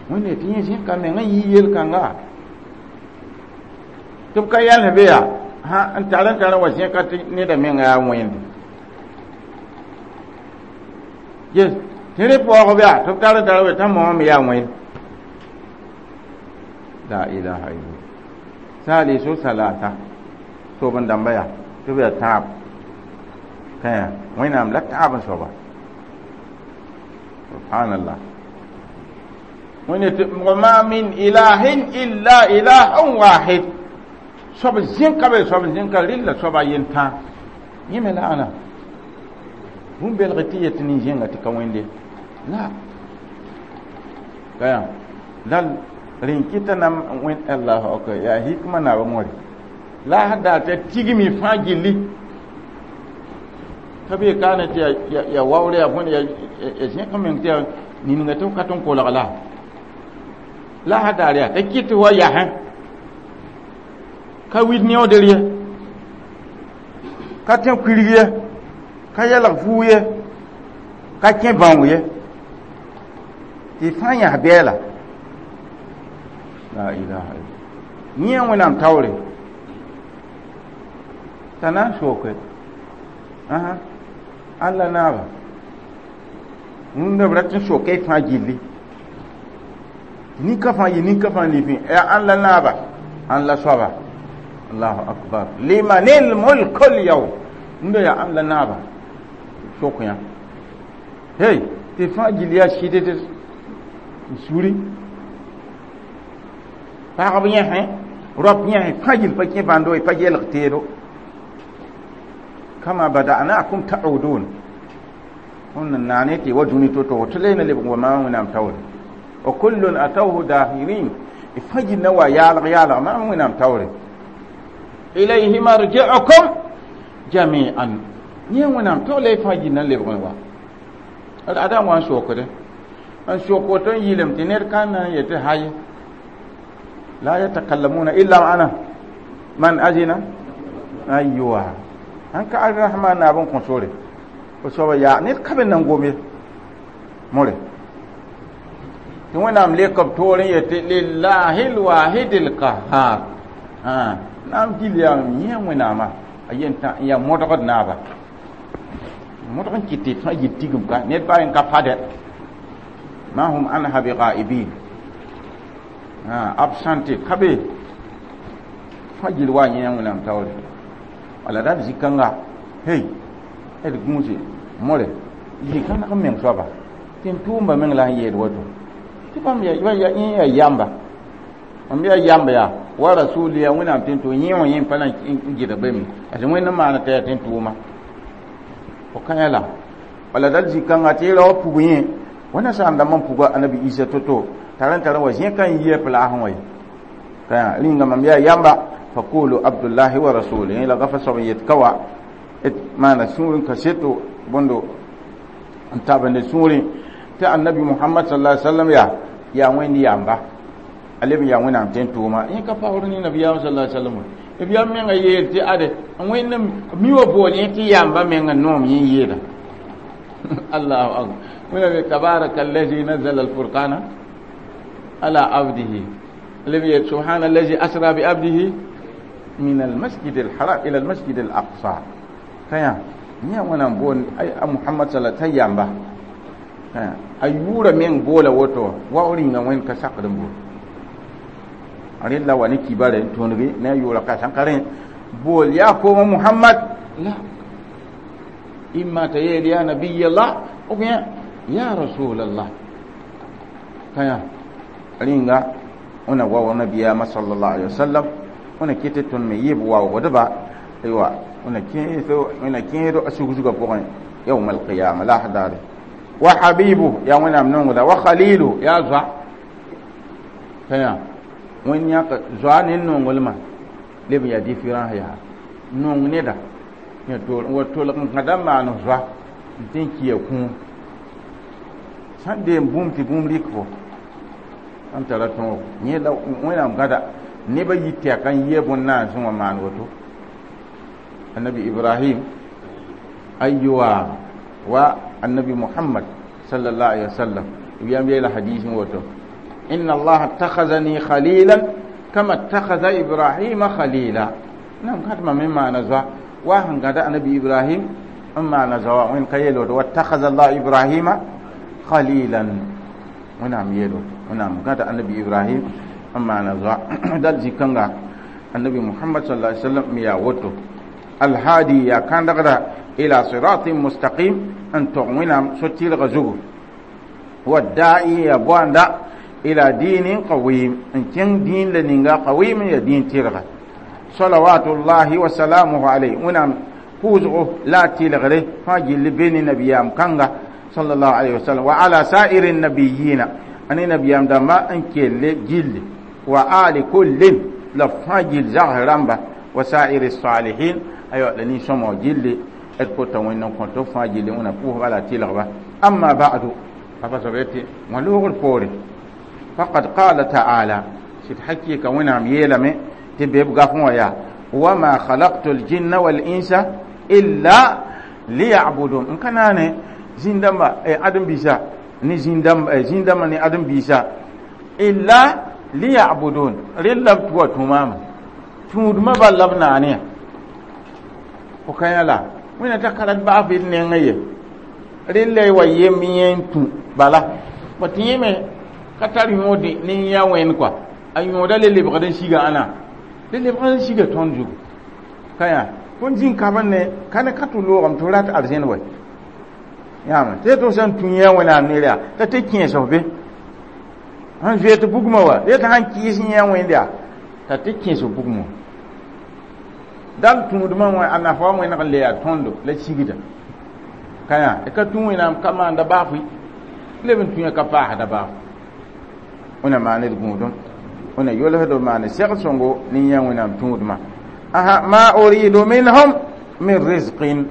A: wẽnde tɩ yẽ zẽka meng n yɩ yel-kãnga tɩ b ka yãls be yaa n tar n tar n wa zẽka tɩ neda menga yaa wẽnde yes tɩ rẽ paoog yaa tɩ b tar n tar n t'a moame yaa wẽnd la ilaha illallah salisu salata sob n dãmba yaa tɩ b yaa tãab kã wẽnnaam la tãab n soaba. Subhanallah, wẽnde tɩ wa ma min ilahin illa ilahun wahid soab zẽka be soab zẽka rɩlla soaba yen tãa yẽ me la ãna bũmb belg tɩ yetɩ nin-zẽnga tɩ ka wẽnde la ka yaa dal rẽn kɩta nam wẽn allahu akbar yaa hikma naaba wãre la a daar tɩ tigmi fãa gilli ka be kaane tɩ ya waoore ya bõne ya zẽk meng tɩ ya ninga tɩ b ka tɩ n kolg la la a daar yaa t'a kɩt wa yasẽ ka wid neoodr ye ka tẽ kuirg ye ka yɛlg fuu ye ka kẽ bãong ye tɩ fãa yãs bɛɛla. La ilaha illa yẽ Wẽnnaam taoore t'a na n soke alla naaba wũnda b rat n soka y fãa gilli nin-ka fãa yɩ nin-ka fãa lifẽ yaa ãn la naaba ãn la soaba. Allahu akbar, limanil mulkul yawm. Wũnda yaa ãn la naaba sok yã hey tɩ fãa gill yaa sɩd n suri pagb yẽsẽ rap yẽsẽ fãa gill pa kẽ bãndo y pa gelg teedo kama bada'nakum ta'udun tõnd n naane tɩ wa dũni to-to tɩ le na lebg wa maam Wẽnnaam taoore wa kullun atawhu dahirin y fãa gill na wa yaalg yaalg maam Wẽnnaam taoore ilayhi marji'ukum jami'an yẽ Wẽnnaam tog la y fãa gill na lebg wa ada n wa n sokde n sok woto n yɩlem tɩ ned ka na n yetɩ hay la yatakallamuna illa ana man azina aywa an ka arrahman naab n kõ sore fo soaba yaa ned ka be nan gom ye more tɩ Wẽnnaam lek b toor n yetɩ lillahi lwahid lqahar naam gil yaa yẽ Wẽnnaama a yen tã n yaa modgd naaba modg n kɩt tɩ fãa yil tigim ka ned baa yen ka pade ma hum anha bighaibin absente ka be fãa gil wa yẽ Wẽnnaam taoore wala dad zĩ-kãnga hey d gũuse more zĩ-kã nag n meng soaba tɩ n tʋʋmba meng la sẽn yeel woto tɩ bãmb yẽ yaa yamba mam yaa yamba yaa wa rasuli ya Wẽnnaam tɩ n tʋ yẽ wã yẽ pa na n gɩdg bame a sẽn Wẽnd n maana t'a yaa tɩ n tʋʋma fo kã la wala dal zĩ-kãnga tɩ y rao pug yẽ wẽnna sãam dãmb n puga Anabi Isa to-to tar n tar n wa zẽ ka n yia plaasẽ wã ye ka rĩnga mam yaa yamba faqulu abdullahi wa rasulihi la gafa soab n yet ka wa maana sũur n kaseto bõndo n tabende sũurẽ tɩ Annabi Muhammad sallallahu alaihi wasallam yaa yaa Wẽnd yamba a leb n yaa Wẽnnaam tɩ n tʋʋma yẽ ka paoor ne nabiyaam sallallahu alaihi wasallam nabiyaam menga yeel tɩ ade Wẽnd mi wa bool yẽ tɩ yamba menga noom yẽ yeela. Allahu akbar. Wẽnnaam tabaraka allazi nazzala alfurqana ala abdihi leb yeel subhana allazi asra bi abdihi min almasjid alharam ila almasjid alaqsa kaya yẽ Wẽnnaam boon a Muhammad sala t'a yamba a yʋʋra meng boola woto wa rĩnga Wẽnd ka sakd n bool rẽd la wa ne kibare n tõdge ne a yʋʋra ka sãn ka rẽ bool yaa kooma Muhammad la imma t'a yeel ya nabiyallah ou bien ya rasulallah kaya rĩnga wẽna wa wa nabiyaamã sallallahu alaihi wasallam wẽna kɩt tɩ tõnd me yɩɩb waoogdba aywa wẽna kẽeso wẽna kẽedo a sug-zugã pʋgẽ yawm alqiyama la daare wa habibu yaa Wẽnnaam nongda wa khalilu yaa zoa kaya wẽnd yãk zoa ne nonglmã leb n yaa différence yaa nong neda yã tol wa tolg n kãda n maan zoa n tɩ n kia kũum sãn deem bũmb tɩ bũmb rɩk fo n tara tõog yẽ la Wẽnnaam gãda nebã yi tɛka n yɩa bõn-naasẽ wã maan woto Annabi Ibrahim aywa wa Annabi Muhammad sallallahu alaihi wasallam yam yeela hadis woto inna Allaha ittakhazani khalilan kama ittakhadha Ibrahima khalila nam kat ma me maana zoa wa sẽn gãda Annabi Ibrahim n maana zoa wẽnd ka yeel woto wattakhadha Allah Ibrahima khalilan Wẽnnaam yeel woto Wẽnnaam gãda Annabi Ibrahim n maana zoa dal zĩ-kãnga Annabi Muhammad sallallahu alaihi wasallam me yaa woto alhadi yaa kãndgda ila siratin mustaqim n tog Wẽnnaam so-tɩrgã zugu wadda'i ya boanda ila dinin qawim n kẽng dĩin la ninga qawim ya dĩin tɩrga salawatullahi wa salamuhu alayhi Wẽnnaam pʋʋsgo la a tɩlgre fãa gilli be ne nabiyaam kãnga sallallahu alayhi wa sallam wa ala sa'iri nabiyina ane nabiyaam dãmba n kelle gilli wa ali kullin la fãa gill zags rãmba wa sa'iri salihin aywa la nin-sõmg gilli d kota Wẽnd n kõt fãa gilli Wẽnnaam pʋʋsba la tɩlgba. Amma ba'du papa soab yetɩ wã loogr poore faqad qala ta'ala sɩd hakɩka Wẽnnaam yeelame tɩ be b gafẽ wã yaa wama khalaqtu ljinna walinsa illa liya'budun n ka naane zĩn-dãmba ãdem-biisa ne zĩn-dãmba zĩn-dãmbã ne ãdem-biisa illa Liya'budun rel la b tʋa tũ maama tũudmã bal la b naane ya fo ka yã la wẽnna t'a ka rat baaf d nengã ye rel la y wa yem yẽ n tũ bala bõ tɩ yẽ me ka tar yõod ne yã wẽnd kɔa a yõoda le lebgd n siga ãna le lebgd n siga tõnd zugu ka yã tõnd zĩn kab n ne ka ne ka tɩ loogame tɩ rat arzẽn wɛ yãame tɩ tɩ sẽn tũ yã wẽnnaam ner yaa t'a tɩ kẽes f be sẽn zoe tɩ bugmã wa tɩ sãn kɩɩs yã wẽnd yaa t'a tɩ kẽes f bugmã dal tũudmã wã a nafa wa wẽneg n le yaa tõndo la sigda ka yã ka tũ wẽnnaam ka maanda baafʋ leb n tũ ka paasda baaf wẽna maan d gũudum wẽna yolsd b maane sɛg sõngo ne yã wẽnnaam tũudmã aha ma uridu minhum min rizqin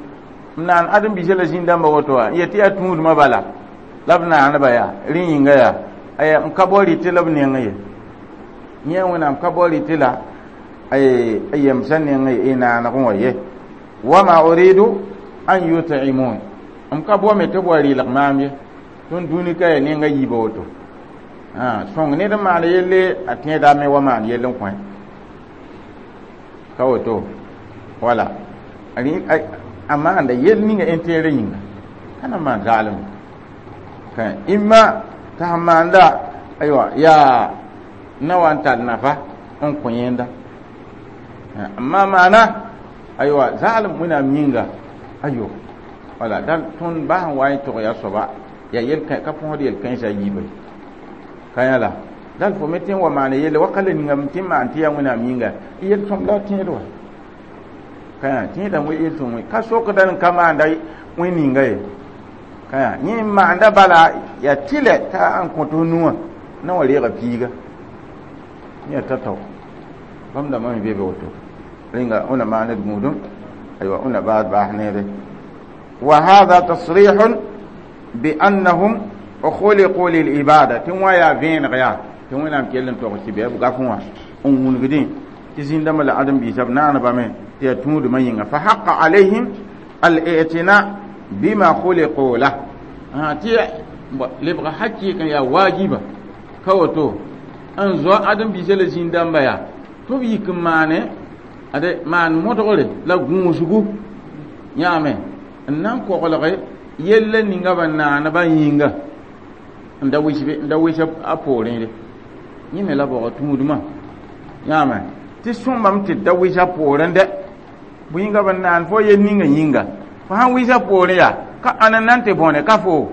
A: naan ãdem biisã la zĩn-dãmbã woto wã n yet tɩ yaa tũudmã bala la b naanba yaa rẽ yĩnga yaa aya n ka bao rɩtɩ la b neng ye yẽ wẽnnaam ka bao rɩtɩ la a yemsã neng ye naanegẽ wã ye wama uridu an yut'imun m ka bao me tɩ b wa rɩlg maam ye tõnd dũni ka ya nenga yiiba woto sõng ned n maan yelle a tẽedame wa maan yell n kõ ka woto wala a maanda yell ninga intérêt yĩnga ka na maan zaalem imma t'a sẽn maanda aywa yaa na wa n tar nafa n kõ yẽnda amma maana aywa zaalem wẽnnaam yĩnga ayo wala dal tõnd baa sẽn wa n tog yaa soaba yaa yel ka põsd yel-kãensã yiiba ka yã la dal fo me tẽ n wa maan yelle waka la ningame tɩ n maan tɩ yaa wẽnnaam yĩnga yel sõm la tẽed wa ka yã tẽedã yel sõm ka sokda n ka maanda wẽn ninga ye ka yã yẽ n maanda bala yaa tɩlɛ t'a n kõt f nuwã na wa reega piiga yẽ ta tao bãmb dãmbã me be be woto rẽnga wẽna maan d gũudum aywa wẽna baas baas neere wa hada tasrih بأنهم خلقوا للعبادة tɩ wã yaa vẽeneg yaa tɩ wẽnnaam kell n togs tɩ bɩ b gaf wã n wũnigdẽ tɩ zĩn-dãmbã la ãdem-biisã b naanbame tɩ yaa tũudmã yĩnga fa haqa alayhim al-i'tina bima khuliqu lah tɩ lebga hakɩɩk n yaa waajiba ka woto n zoa ãdem-biisã la zĩn-dãmba yaa tɩ b yik n maane ade maan modgre la gũusgu yãame n na n koglge yella ninga ba naanba yĩnga n da wis n da wis a poorẽ re yẽ me la baoog tũudmã yãame tɩ sõmbame tɩ da wis a poorẽ dɛ bõe yĩnga b naan fo yel ninga yĩnga fo sãn wis a poorẽ yaa ka ãna nan tɩ bõne ka fo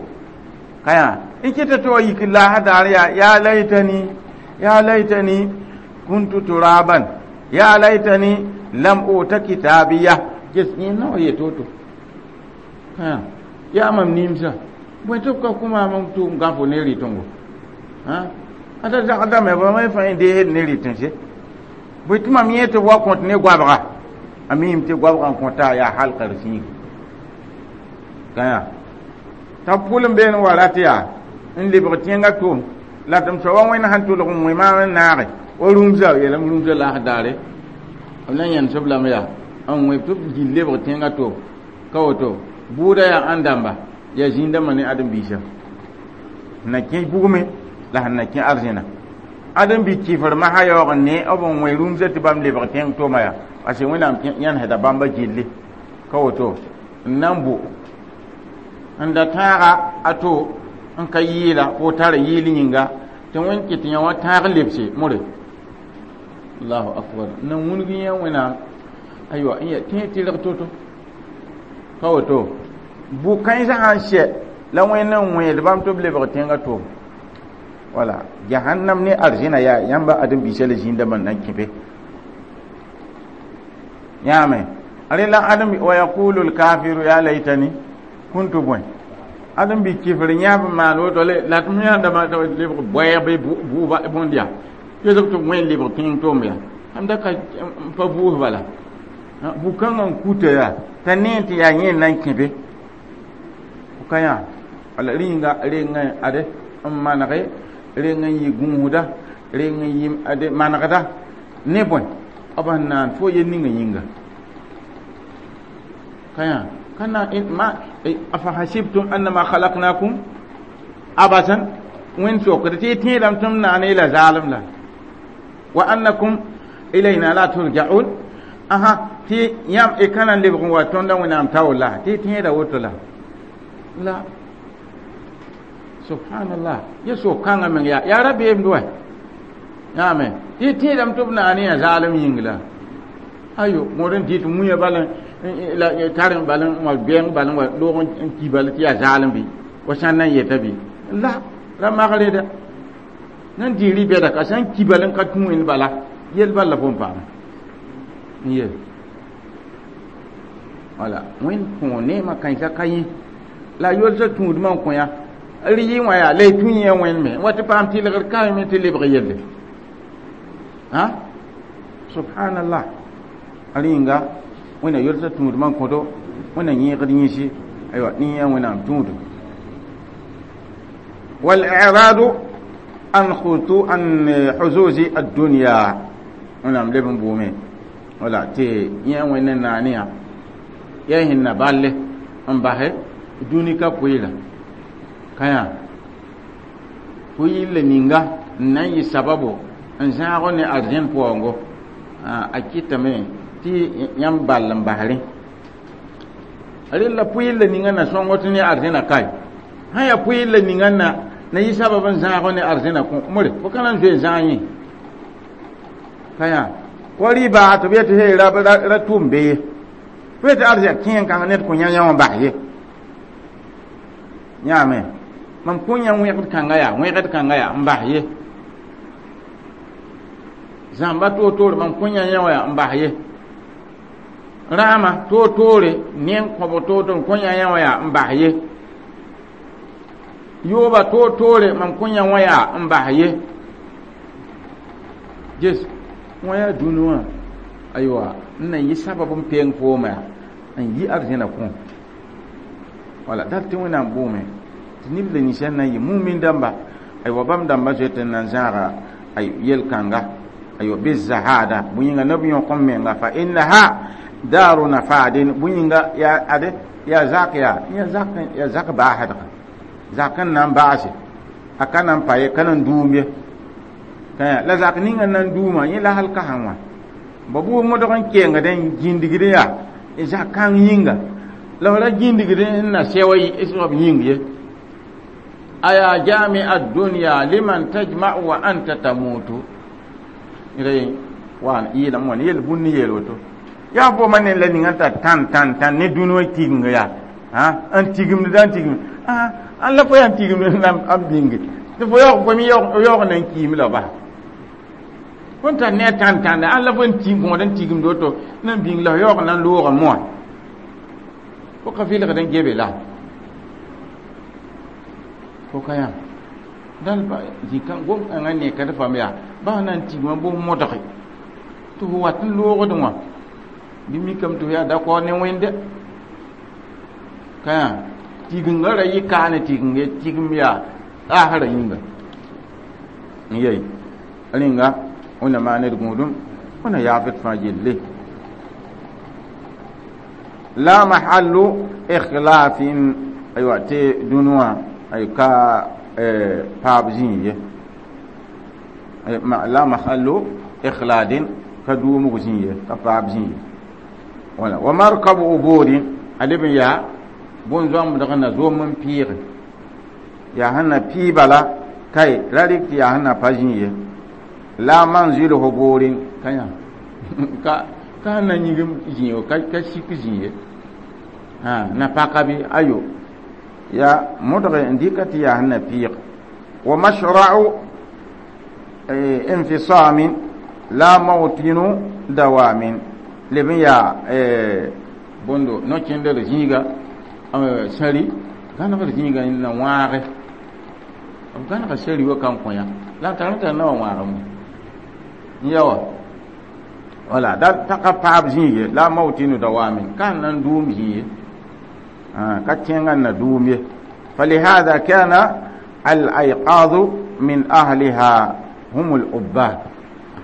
A: ka yã n kɩta tɩ wa yik laasã daar yaa ya laitani ya laitani kuntu turaban ya laitani lam uta kitabiya ges yẽ na wa yet woto ka yã yaa mam nimsa bõe tɩ b ka kõ maam n tʋ n gãfo ne rɩtengo ata zagdame ba me fãa deesd ne rɩtẽnse bõe tɩ mam yẽ tɩ b wa kõt ne goabga a miime tɩ goabga n kõta yaa halka d sĩiga ka yã t'a pʋl n been wa rat yaa n lebg tẽngã tom la tɩ m soaba wẽnd sãn tʋlg n wẽ maam n naage wa rũmsa yeelame rũmsa laas daare b na yẽnesb lame yaa n wẽ tɩ b gil lebg tẽngã tom ka woto bʋʋda yaa ãn dãmba yaa zĩn-dãmbã ne ãdem-biisã na kẽ bugme la sẽn na kẽ arzẽna ãdem-bi kɩfr masã yaoog n ne b n wẽ rũmsã tɩ bãmb lebg tẽng toma yaa parce que wẽnnaam yãnesda bãmba gilli ka woto n na n bʋ n da tãaga a to n ka yɩɩla fo tara yɩɩl yĩnga tɩ wẽnd kɩt yã wã tãag lebse more allahu akbar n na wũnug yẽ wẽnnaam aywa n ya tẽ tɩrg to-to ka woto bʋ-kãensã sãn sɛ la wẽnd n wẽed bãmb tɩ b lebg tẽngã toom wala jahannam ne arzẽna yaa yãmba ãdem-biisã la zĩn-dãmbã n na n kẽ be yãame rẽ la ãdem wa yaqulu lkafiru ya laitani kuntu bõe ãdem-bi kɩfr yãab n maan woto la tɩ m yãndame lebg bɔɛɛg bɩ bʋʋba bõnd yaa yosg tɩ b wẽn lebg tẽng tom yaa am da ka pa vʋʋs bala bʋ-kãngã n kuta yaa t'a nee tɩ yaa yẽ n na n kẽ be ka yã wala rĩnga reng ade n manege reng n yɩ gũusda reng n yɩ ade manegda ne bõe b sẽn naan fo yel ninga yĩnga ka yã ka na ma afahasibtum annama khalaqnakum abasan wẽnd sokd tɩ y tẽedame tɩ m naane la zaalem la Wa annakum ilayna la turja'un. Aha, tɩ yãmb y ka na n lebg n wa tõndã Wẽnnaam taoor la tɩ y tẽeda woto la la. Subhanallah, ya so-kãngã meng yaa yaa rabeemd wa yãame tɩ y tẽedame tɩ b naane yã zaalem yĩng la ayo mõd n dɩt mũyã bal la tar bal n wa bɛng bal n wa loog n ki bal tɩ yaa zaalem bɩ wa sãn na n yeta bɩ la ra mag reda nan dɩ rɩ-bɛda ka sã n ki bal n ka tũ wẽnd bala yel bal la fo n paama n yel wala Wẽnd kõ neemã kãensã ka yẽ la a yolsã tũudmã n kõ yã rɩ yɩ wã yaa la y tũ yẽ Wẽnd me wa tɩ paam tɩlgr kaame tɩ lebg yelle ha. Subhanallah, rẽnga Wẽnna yolsã tũudmã n kõto Wẽnna yẽegd yĩsi aywa ne yã Wẽnnaam tũudum. والإعراض عن خطو عن حظوظ الدنيا Wẽnnaam leb n buume wala tɩ yẽ Wẽnd naane yã yaa sẽn na balle n basɛ dũni ka pʋɩɩra ka yã pʋɩɩr ninga n na n yɩ sababo n zãag ne arzẽn paoongo a kɩtame tɩ yãmb ball n bas rẽ rel la pʋɩɩr la ninga na sõngo tɩ ne arzẽna kae sã yaa pʋɩɩr la ninga na na yɩ sabab n zãag ne arzẽna kõ more fo ka na n zoe n zãag yẽ ka yã ko rɩ-baa tɩ b yetɩ hey ra tʋʋm be ye fo yetɩ arzɛk kẽen kãng ned kõ yã yã wã bas ye yãame mam kõ yã wẽgd kãnga yaa wẽgd kãnga yaa n bas ye zãmba toor-toore mam kõ yã yã wã yaa n bas ye rãama toor-toore ne n kõbg toor-toore kõ yã yã wã yaa n bas ye yooba toor-toore mam kõ yã wã yaa n bas ye ges wã yaa dũni wã aywa n na yɩ sabab n peng fooma yaa n yi arzẽna kõ wala dat tɩ Wẽnnaam boome tɩ neb la ninsã na n yɩ mumin dãmba aywa bãmb dãmbã zoet n na n zãaga ay yel-kãnga aywa bizahada bõe yĩnga neb yõk n menga fa innaha daru nafadin bõe yĩnga yaa ade yaa zak yaa yaa zak yaa zak baasdga zak n na n baase a ka na n pa ye ka na n duum ye la zak ninga n na n duuma yẽ la hal ka sã wã ba bʋ modg n kengd n gĩndigd yaa zak kãng yĩnga la f ra gĩndigd n na sɛoa soab yĩng ye aya jami ad-dunya liman tajma'u wa anta tamutu re wan yɩɩlame wã yel bũmb ne yeel woto yaa fo ma ne la ninga t'a tãn tãn tãn ne dũni wã tigimga yaa n tigimd da n tigimd an la fo yaa n tigimd n bĩnge tɩ fo yaoog fo me yaoog na n kiime la bas fo n tar ne a tãn tãnda an la fo n tig gõod n tigimd woto na n bĩng la f yaoog na n looga moa fo ka vɩlgd n gebe la fo ka yãmb dal zĩ-kã gom-kãngã nekd fam yaa bas na n tigma bʋ modge tɩ fo wat n loogd wã bɩ mikame tɩ fo yaa dakor ne Wẽnde ka yã tigingã ra yɩ kaa ne tiging ye tigim yaa asrã yĩnga n yey rẽnga Wẽnna maan d gũudum Wẽnna yaaf d fãa yelle la mahallu ikhlafin aywa tɩ dũni wã ay ka paab zĩig ye la mahallu ikhladin ka duumg zĩig ye ka paab zĩig ye wala wa markabu ubudin a leb n yaa bõn-zoambdg na zom n pɩɩge yaa sẽn na pɩɩ bala kae ra rɩk tɩ yaa sẽn na pa zĩig ye la manzilu huburin ka yã ka ka sẽn na yĩgim zĩig ka ka sik zĩig ye na paka bɩ ayo ya modg n dɩka tɩ yaa sẽn na pɩɩg wa mashra'u infisamin la mawtinu dawamin leb n yaa bõndo no-kẽndr zĩiga sãri gãnegr zĩiga na wãage b gãnega sari wa kan kõ yã la n tar n tar na wa wãagame n ya wa wala da t'a ka paab zĩig ye la mawtinu dawamin ka na n duum zĩig ye ka tẽngã na duum ye فلهذا كان الأيقاظ من أهلها هم العباد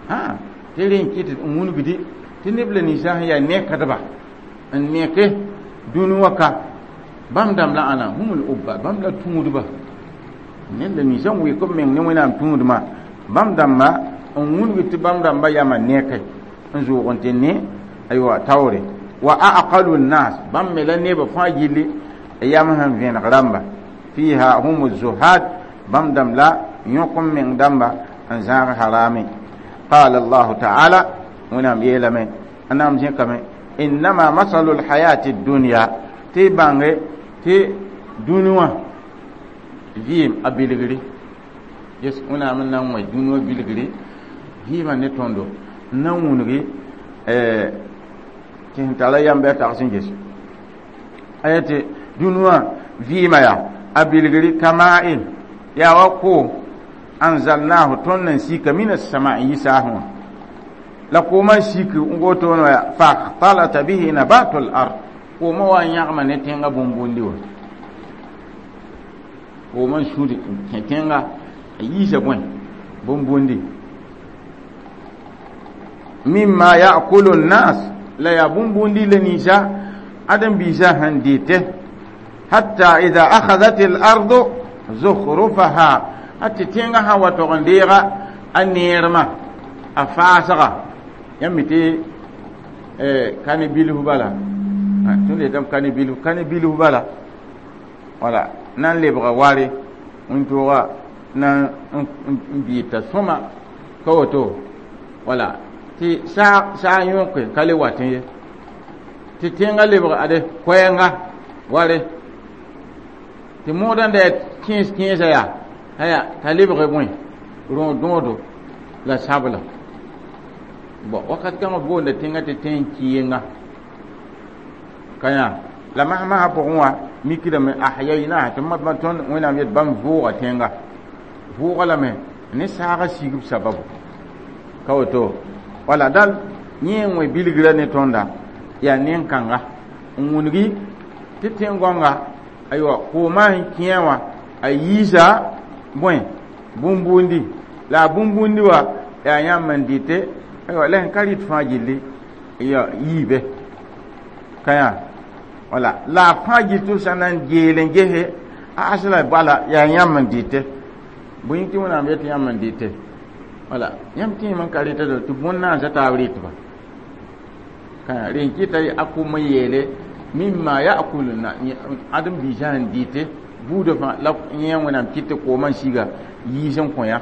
A: ها ترين كيت wũnugdi tɩ neb la ninsã sẽn yaa nekdba n neke dũni wã ka bãmb dãmb la ãna هم العباد bãmb la tũudba ned la ninsã n wɩk b meng ne Wẽnnaam tũudmã bãmb dãmbã N wũnug tɩ bãmb rãmbã yamã neke n zʋʋg n tɩ ne aywa taoore wa aqalu nnas bãmb me la nebã fãa gilli yam sẽn vẽneg rãmba fiha hum zuhad bãmb dãmb la yõk n meng dãmba n zãag harame. Qala Allahu taala Wẽnnaam yeelame n na n zẽkame innama masalu lhayati dunya tɩ bãnge tɩ dũni wã vɩɩm a bilgri yes Wẽnnaam n na n wẽ dũni wã bilgri vɩɩmã ne tõndo n na n wũngi tɩ sẽn tara yam bɩ a tags n ges a yetɩ dũni wã vɩɩmã yaa a bilgri kama'in yaa wa koom anzalnahu tõnd n sika min assama n yi saasẽ wã la koomã n sik n woto wã faxtalata bihi nabatu l ard koomã wa n yãgma ne tẽngã bũmb-bũndi wã koomã n sũd n kẽ tẽnga a yiisa bõe bũmb-bũndi mimma yakulu nnas la yaa bũmb-bũndi la ninsa ãdem-biisã sẽn dɩte hatta ida akhadhat al ardu zukhrufaha a tɩ tẽngã sã wa tog n deega a neermã a faasga yãmb mi tɩ kane bilf bala tõnd yetame kane bilf kane bilf bala wala na n lebga ware wĩntoogã na n bɩɩta sõma ka woto wala tɩ saa yõke ka le watẽ ye tɩ tẽngã lebg ade koɛɛnga ware tɩ moodã da yaa kẽes kẽesã yaa aya t'a lebg bõe rõod-dõodo la sabla bon wakat kãngã boonda tẽngã tɩ tẽn kɩɩnga ka yã la masmasã pʋgẽ wã mikdame ahyayna tɩ ma tõnd Wẽnnaam yet bãmb vʋʋga tẽnga vʋʋga lame ne saagã sigb sababu ka woto wala dal yẽ n wẽ bilgrã ne tõnda yaa nen-kãnga n wũngi tɩ tẽn-gõnga aywa koomã sẽn kẽe wã a yiisa bõe bũmb-bũndi la a bũmb-bũndi wã yaa yãmb n dɩte aywa la sẽn ka rɩt fãa gilli ya yiibe ka yã wala la a fãa gill tɩ b sã na n geel n gese a asla bala yaa yãmb n dɩte bõe tɩ Wẽnnaam yetɩ yãmb n dɩte wala yãmb tẽem n ka rɩta tɩ bõn-naasã taab rɩtba ka rẽn kɩta a kom n yeele mimma yakulu na ãdem-biisã sẽn dɩte buudã fãa la yẽ Wẽnnaam kɩt tɩ koomã n siga yiis n kõ yã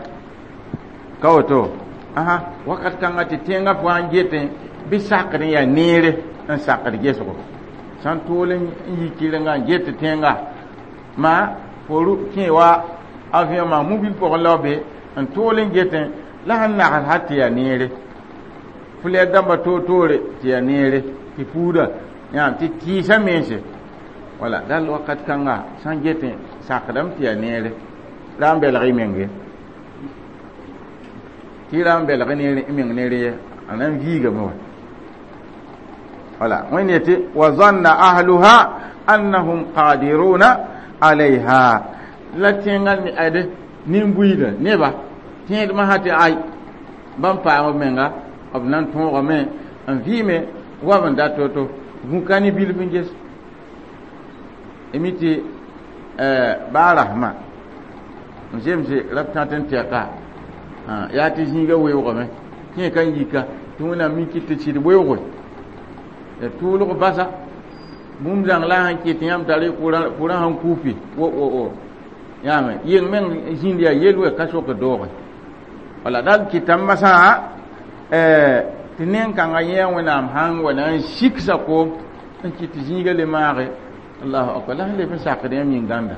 A: ka woto asa wakat kãnga tɩ tẽngã fãa n getẽ bɩ sakd n yaa neere n sakd gesgo sã n tool n yi kɩrenga n get tẽnga ma fo kẽ wa avion maa mobil pʋgẽ la be n tool n getẽ la sẽn nags sã tɩ yaa neere flɛr dãmbã toor-toore tɩ yaa neere tɩ puuda yãam tɩ tɩɩsã mense wala dal wakat kãnga sã n getẽ sakdame tɩ yaa neere ra n belg y meng ye tɩ ra n belg y meng neere ye a na n viigame wa wala Wẽnd yetɩ wa zanna ahluha annahum qadiruna alayha la tẽngã ade nin-buiidã neba tẽedmã sã tɩ ay bãmb paam b menga b na n tõogame n vɩɩme wa b n dat to-to gũ-ka ne bilf n ges mi tɩ baa rasmã n zemse rab tãt n tɛka yaa tɩ zĩiga weoogame kẽ ka n yika tɩ Wẽnnaam mi kɩt tɩ sɩd weooge ya tʋʋlg basa bũmb zãng la sẽn kɩt yãmb tar kʋrã sẽn kupi wo wo wo yãame yeng meng zĩnd yaa yel-wɛ ka sok dooge wala dal kɩtame masã tɩ nen-kãngã yẽ Wẽnnaam sãn wa na n siksa koom n kɩt tɩ zĩiga le maage allahu akbar la sẽn leb n sakd yãmb yĩn-gãnda.